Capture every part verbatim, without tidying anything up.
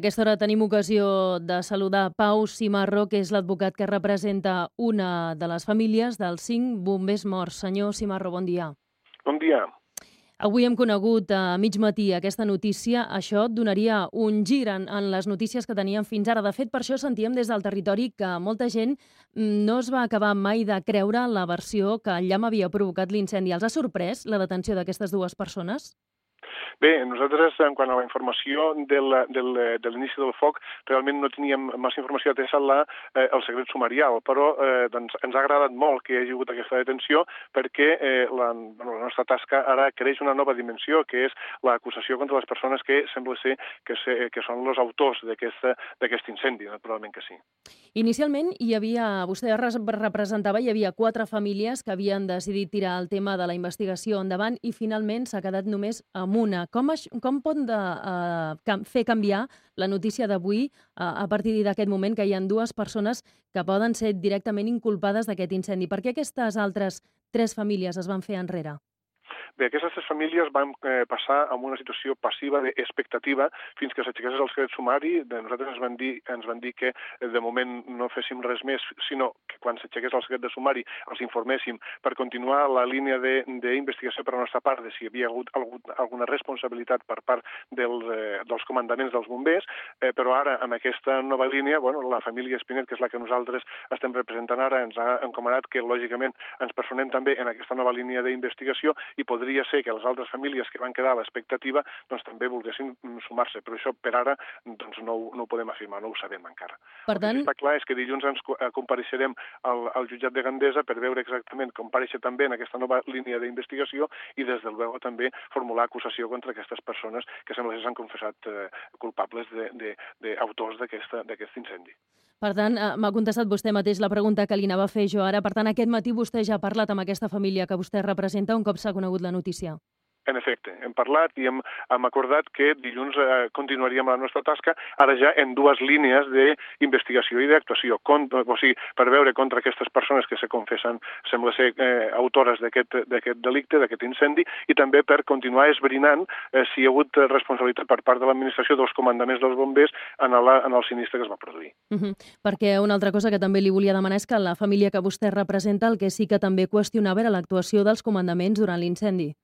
A aquesta hora tenim ocasió de saludar Pau Cimarro, que és l'advocat que representa una de les famílies dels cinc bombers morts. Senyor Cimarro, bon dia. Bon dia. Avui hem conegut a mig matí aquesta notícia. Això donaria un gir en, en les notícies que teníem fins ara. De fet, per això sentíem des del territori que molta gent no es va acabar mai de creure la versió que el llamp havia provocat l'incendi. Els ha sorprès la detenció d'aquestes dues persones? Bé, nosaltres, en quant a la informació del, del, de l'inici del foc, realment no teníem massa informació atesa la, eh, el secret sumarial, però eh, doncs, ens ha agradat molt que hi hagi hagut aquesta detenció perquè eh, la, bueno, la nostra tasca ara creix una nova dimensió, que és l'acusació contra les persones que sembla ser que, se, que són els autors d'aquest incendi, naturalment que sí. Inicialment, hi havia, vostè representava, hi havia quatre famílies que havien decidit tirar el tema de la investigació endavant i finalment s'ha quedat només amb una. Com, es, com pot de, uh, fer canviar la notícia d'avui uh, a partir d'aquest moment que hi ha dues persones que poden ser directament inculpades d'aquest incendi? Per què aquestes altres tres famílies es van fer enrere? Bé, aquestes tres famílies van eh, passar amb una situació passiva d'expectativa fins que s'aixequés el secret sumari. De nosaltres ens van dir, ens van dir que eh, de moment no féssim res més, sinó que quan s'aixequés el secret de sumari els informéssim per continuar la línia d'investigació per la nostra part de si hi havia hagut algun, alguna responsabilitat per part dels, eh, dels comandaments dels bombers, eh, però ara amb aquesta nova línia, bueno, la família Espinet, que és la que nosaltres estem representant ara, ens ha encomanat que lògicament ens personem també en aquesta nova línia d'investigació i podria ser que les altres famílies que van quedar a l'expectativa doncs, també volguessin sumar-se, però això per ara doncs, no, no ho podem afirmar, no ho sabem encara. Per tant... El que està clar és que dilluns ens compareixerem al, al jutjat de Gandesa per veure exactament com comparèixer també en aquesta nova línia d'investigació i des del luego també formular acusació contra aquestes persones que sembla que s'han confessat eh, culpables d'autors d'aquest incendi. Per tant, m'ha contestat vostè mateix la pregunta que li anava a fer jo ara. Per tant, aquest matí vostè ja ha parlat amb aquesta família que vostè representa un cop s'ha conegut la notícia. En efecte, hem parlat i hem, hem acordat que dilluns eh, continuaríem la nostra tasca, ara ja en dues línies d'investigació i d'actuació, o sigui, per veure contra aquestes persones que se confessen, sembla ser, eh, autores d'aquest delicte, d'aquest incendi, i també per continuar esbrinant eh, si hi ha hagut responsabilitat per part de l'administració dels comandaments dels bombers en, la, en el sinistre que es va produir. Uh -huh. Perquè una altra cosa que també li volia demanar és que la família que vostè representa el que sí que també qüestionava era l'actuació dels comandaments durant l'incendi.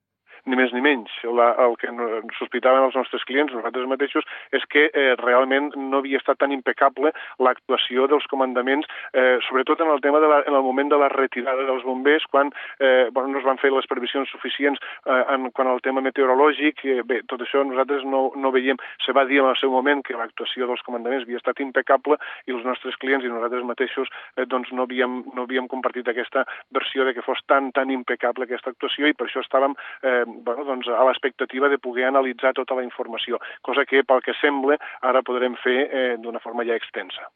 Ni més ni menys. La, el que sospitaven els nostres clients, nosaltres mateixos, és que eh, realment no havia estat tan impecable l'actuació dels comandaments, eh, sobretot en el tema de la, en el moment de la retirada dels bombers, quan eh, bueno, no es van fer les previsions suficients eh, en, quan al tema meteorològic. Eh, bé, tot això nosaltres no, no veiem. Se va dir en el seu moment que l'actuació dels comandaments havia estat impecable i els nostres clients i nosaltres mateixos eh, doncs no havíem, no havíem compartit aquesta versió de que fos tan, tan impecable aquesta actuació i per això estàvem eh, bueno, doncs, a l'expectativa de poder analitzar tota la informació, cosa que, pel que sembla, ara podrem fer eh, d'una forma ja extensa.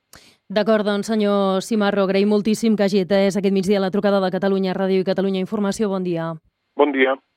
D'acord, doncs, senyor Cimarro, agraïm moltíssim que hagi atès aquest migdia la trucada de Catalunya Ràdio i Catalunya Informació. Bon dia. Bon dia.